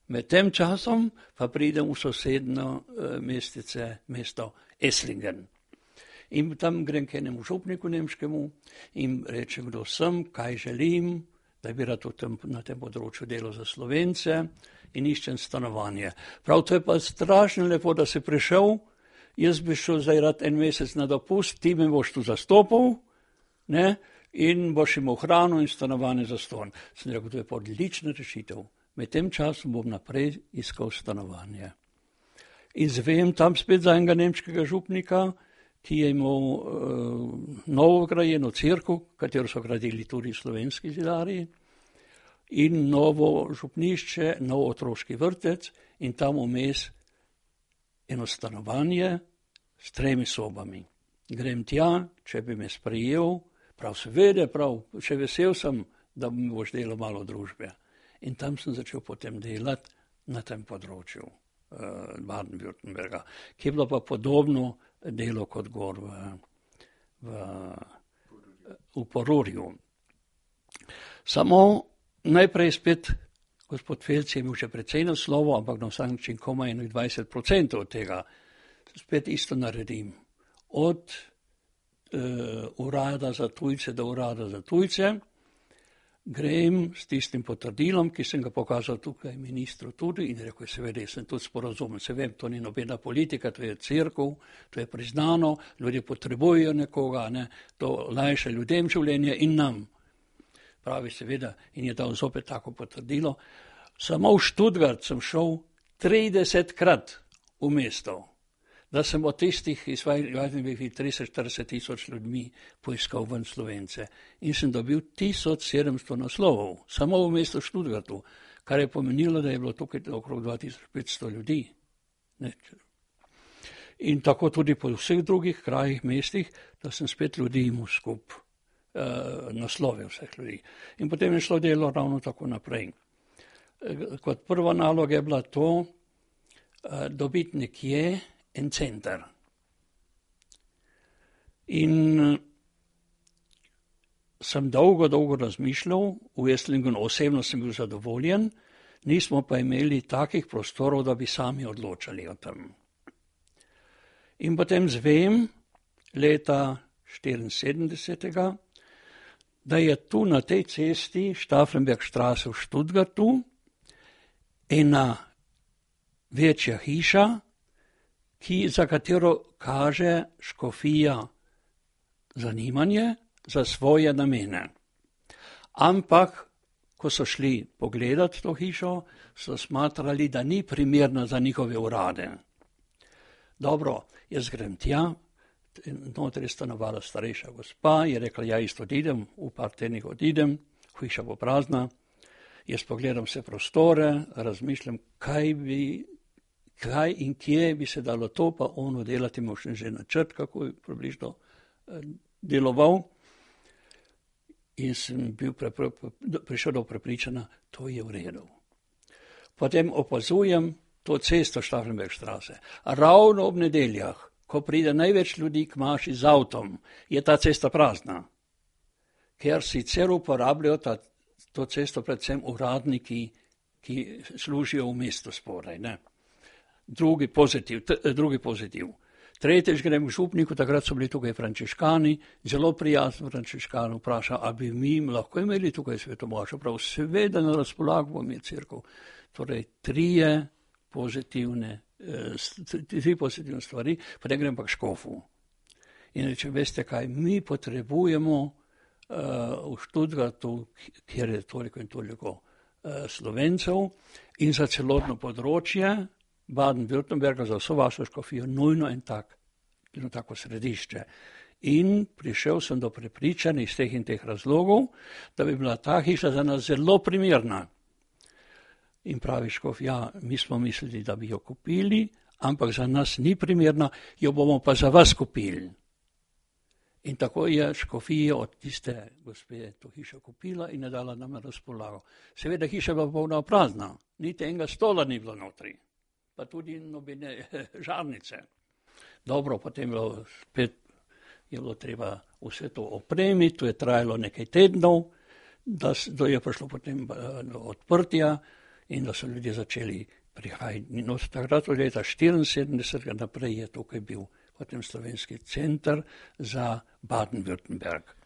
Med tem časom pa pridem v sosedno mesto Esslingen. In tam grem k enemu župniku nemškemu in reče, kdo sem, kaj želim, da bi rad na tem področju delal za Slovence in iščem stanovanje. Prav, to je pa strašno lepo, da si prišel, jaz bi šel zdaj rad en mesec na dopust, ti me boš tu zastopal, ne, in boš imel hrano in stanovanje zastonj. Sem rekel, to je pa odlična rešitev. Med tem časom bom naprej iskal stanovanje. In zvem tam spet za enega nemškega župnika, ki je imel novo grajeno cerkev, katero so gradili tudi slovenski zidarji, in novo župnišče, nov otroški vrtec in tam vmes eno stanovanje s 3 sobami. Grem tja, če bi me sprejel, prav seveda, prav, še vesel sem, da mi boš delal malo družbe. In tam sem začel potem delati na tem področju Baden-Württemberga, ki je bilo pa podobno delo kot gor v Porurju. Samo najprej spet gospod Felc je imel še precej naslovov, ampak na vsak način komaj 20% od tega. Spet isto naredim. Od urada za tujce do urada za tujce. Grem s tistim potrdilom, ki sem ga pokazal tukaj ministru tudi in rekel, seveda, sem tudi sporazumen, se vem, to ni nobena politika, to je cerkev, to je priznano, ljudje potrebujejo nekoga, ne, to lajša ljudem življenje in nam. Pravi, seveda, in je dal zopet tako potrdilo. Samo v Stuttgart sem šel 30-krat v mesto, da sem od tistih iz 30-40 tisoč ljudmi poiskal ven Slovence. In sem dobil 1700 naslovov, samo v mestu Stuttgartu, kar je pomenilo, da je bilo tukaj okrog 2500 ljudi. Ne. In tako tudi po vseh drugih krajih, mestih, da sem spet ljudi imel skup naslovil vseh ljudi. In potem je šlo delo ravno tako naprej. Kot prva naloga je bila to, dobiti nekje en center. In sem dolgo razmišljal, v Esslingenu osebno sem bil zadovoljen, nismo pa imeli takih prostorov, da bi sami odločali o tem. In potem zvem leta 1974, da je tu na tej cesti Stauffenbergstraße v Stuttgartu ena večja hiša, za katero kaže škofija zanimanje za svoje namene. Ampak, ko so šli pogledati to hišo, so smatrali, da ni primerna za njihove urade. Dobro, jaz grem tja, notri je stanovala starejša gospa, je rekla, ja, isto odidem, v par tednih odidem, hiša bo prazna, jaz pogledam vse prostore, razmišljam, kaj in kje bi se dalo to, pa ono delati, imel sem že načrt, kako je približno deloval. In sem bil prišel do prepričanja, to je v redu. Potem opazujem to cesto Stauffenbergstraße. Ravno ob nedeljah, ko pride največ ljudi k maši z avtom, je ta cesta prazna. Ker sicer uporabljajo to cesto predvsem uradniki, ki služijo v mestu spodaj, ne. Drugi pozitiv. Tretjič grem k župniku, takrat so bili tukaj frančiškani, zelo prijazen frančiškan, vpraša, a bi mi lahko imeli tukaj svetomošo, prav seveda na razpolago bom je cerkev. Torej, tri pozitivne stvari, potem grem pa k škofu. In reče, veste kaj, mi potrebujemo v Stuttgartu, kjer je toliko in toliko Slovencev in za celotno področje Baden-Württemberga, za vso vašo škofijo, nujno eno tako središče. In prišel sem do prepričanja iz teh in teh razlogov, da bi bila ta hiša za nas zelo primerna. In pravi škof, ja, mi smo mislili, da bi jo kupili, ampak za nas ni primerna, jo bomo pa za vas kupili. In tako je škofija od tiste gospe to hišo kupila in je dala nam na razpolago. Seveda hiša bila polna prazna, niti enega stola ni bilo notri, pa tudi nobene žarnice. Dobro, potem je bilo treba vse to opremiti, to je trajalo nekaj tednov, da je prišlo potem do odprtja in da so ljudje začeli prihajati. No, takrat od leta 1974 naprej je tukaj bil potem slovenski center za Baden-Württemberg.